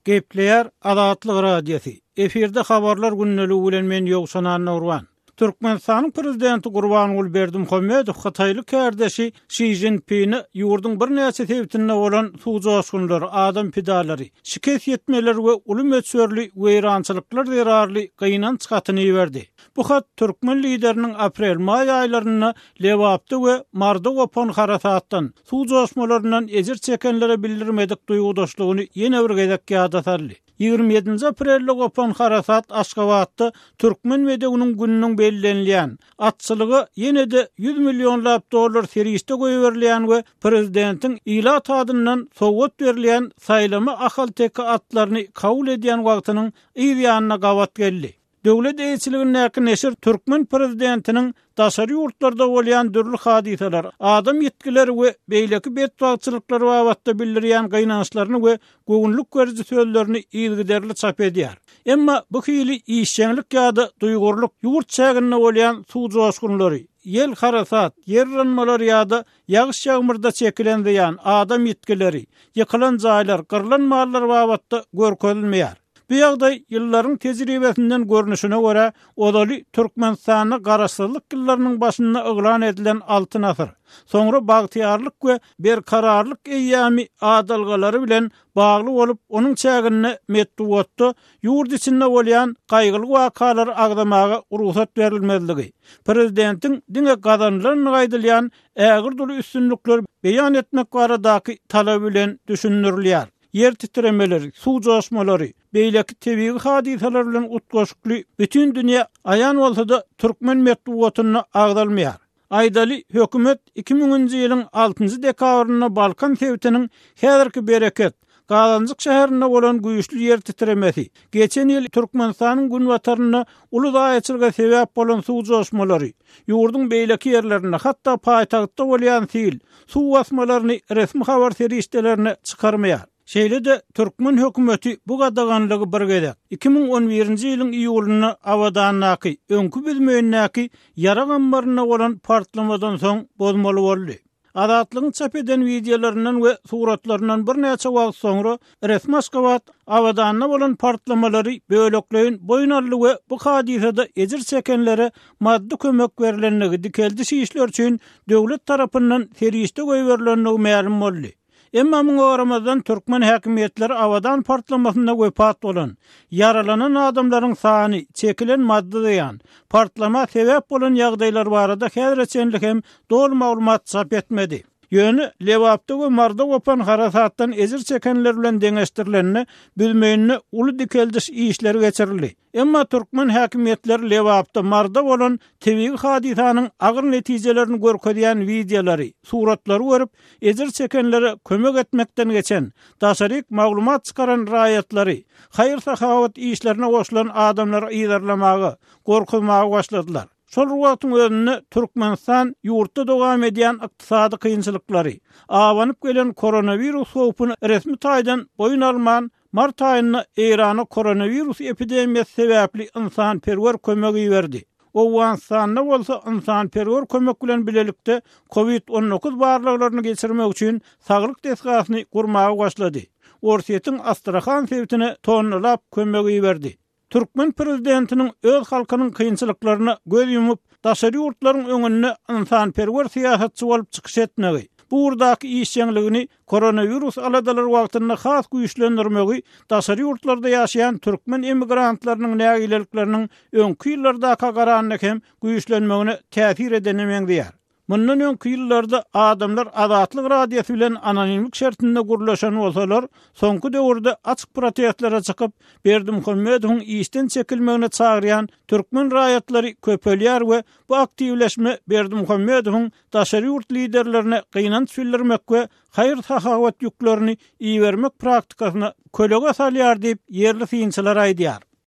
Gepleýär Azatlyk Radiosy, efirde Habarlar gündeligi bilen men Ýowşan Annagurban. Türkmenistanyň Prezidenti Gurbanguly Berdimuhamedow hytaýly kärdeşi Şi Szinpine ýurduň birnäçe sebitinde bolan suw joşgunlary, adam pidalary, şikes ýetmeler we uly möçberli weýrançylyklar zerarly gynanç hatyny iberdi. Bu hat türkmen lideriniň aprel-maý aýlarynda Lebapda we Maryda gopan harasatdan, suw joşmalaryndan ejir çekenlere bildirmedik duýgudaşlygyny ýene bir gezek ýada saldy. 27-nji aprelde gopan harasat Aşgabatda Türkmen bedewiniň gününiň bellenilýän, atçylyga ýene-de ýüz millionlap dollar serişde goýberilýän we prezidentiň ilat adyndan sowgat berilýän saýlama ahalteke atlaryny kabul edýän wagtynyň yz ýanyna gabat geldi. Döwlet eýeçiligindäki neşir türkmen prezidentiniň daşary ýurtlarda bolýan dürli hadysalar, adam ýitgileri we beýleki betbagtçylyklar babatda bildirýän gynançlaryny we göwünlik beriji sözlerini yzygiderli çap edýär. Emma bu hili işjeňlik ýa-da duýgurlyk ýurt çäginde bolýan suw joşgunlary, ýel-harasat, ýer yranmalary ýa-da ýagyş-ýagmyrda çekilen zyýan, adam ýitgileri, ýykylan jaýlar, gyrlan mallar babatda görkezilmeýär. Bu ýagdaý ýyllaryň tejribesinden görnüşine görä, ozaly Türkmenistanda Garaşsyzlyk ýyllarynyň başynda yglan edilen Altyn asyr, soňra Bagtyýarlyk we Berkararlyk eýýamy adalgalary bilen bagly bolup, onuň çäginde metbugatda ýurt içinde bolýan gaýgyly wakalary agzamaga rugsat berilmezligi, prezidentiň diňe gazanylandygy aýdylýan ägirt uly üstünlikleri beýan etmek baradaky talaby bilen düşündirilýär. Ýer titremeleri, suw joşmalary, beýleki tebigy hadysalar bilen utgaşykly bütin dünýä aýan bolsa-da, türkmen metbugatynda agzalmaýar. Aýdaly, hökümet iki müňünji ýylyň altynjy dekabrynda Balkan sebitiniň häzirki Bereket, Gazanjyk şäherinde bolan güýçli ýer titremesi, geçen ýyl Türkmenistanyň günbatarynda uly zaýaçylyga sebäp bolan suw joşmalary, ýurduň beýleki ýerlerinde, hatda paýtagtda bolýan sil, suw basmalaryny resmi habar serişdelerine çykarmaýar. Şeýle-de, türkmen hökümeti bu gadaganlygy bir gezek, 2011-nji ýylyň iýulynda Abadandaky, öňki Büzmeýindäki ýarag ammarynda bolan partlamadan soň bozmaly boldy. Azatlygyň çap eden wideolaryndan we suratlaryndan birnäçe wagt soňra resmi Aşgabat Abadanda bolan partlamalary bölekleýin boýun aldy we bu hadysada ejir çekenlere maddy kömek berlendigi, dikeldiş işleri üçin döwlet tarapyndan serişde goýberilendigi mälim boldy. Emma muňa garamazdan türkmen häkimiýetleri Abadan partlamasynda wepat bolan, ýaralanan adamlaryň sany, çekilen maddy zyýan, partlama sebäp bolan ýagdaýlar barada häzire çenli hem doly maglumat çap etmedi. Ýöne Lebapda we Maryda gopan harasatdan ejir çekenler bilen deňeşdirilende, Büzmeýinde uly dikeldiş işleri geçirildi. Emma türkmen häkimiýetleri Lebapda, Maryda bolan tebigy hadysanyň agyr netijelerini görkezýän wideolary, suratlary görüp, ejir çekenlere kömek etmekden geçen, daşaryk maglumat çykaran raýatlary, haýyr-sahawat işlerine goşulan adamlary yzarlamaga, gorkuzmaga başladylar. Şol bir wagtyň özünde Türkmenistan ýurtda dowam edýän ykdysady kynçylyklary, abanyp gelen koronawirus howpuny resmi taýdan boýun alman, mart aýynda Eýrana koronawirus epidemiýasy sebäpli ynsanperwer kömek iberdi. Owganystanda bolsa ynsanperwer kömek bilen bilelikde Covid 19 barlaglaryny geçirmek üçin saglyk desgasyny gurmaga başlady. Orsýetiň Astrahan sebitine tonnalap kömek iberdi. Türkmen prezidentiniň öz halkynyň kynçylyklaryna göz ýumup, daşary ýurtlaryň öňünde ynsanperwer syýasatçy bolup çykyş etmegi, bu ugurdaky işjeňligini koronawirus aladalary wagtynda has güýçlendirmegi daşary ýurtlarda ýaşaýan türkmen emigrantlarynyň nägilelikleriniň öňki ýyllardaka garanda hem güýçlenmegine täsir edene meňzeýär. Mundan öňki ýyllarda adamlar Azatlyk Radiosy bilen anonimlik şertinde gürleşen bolsalar, soňky döwürde açyk protestlere çykyp, Berdimuhamedowyň işden çekilmegine çagyrýan türkmen raýatlary köpelýär we bu aktiwleşme Berdimuhamedowyň daşary ýurt liderlerine gynanç bildirmek we haýyr-sahawat ýüklerini ibermek praktikasyna kölege salýar diýip, ýerli synçylar aýdýar.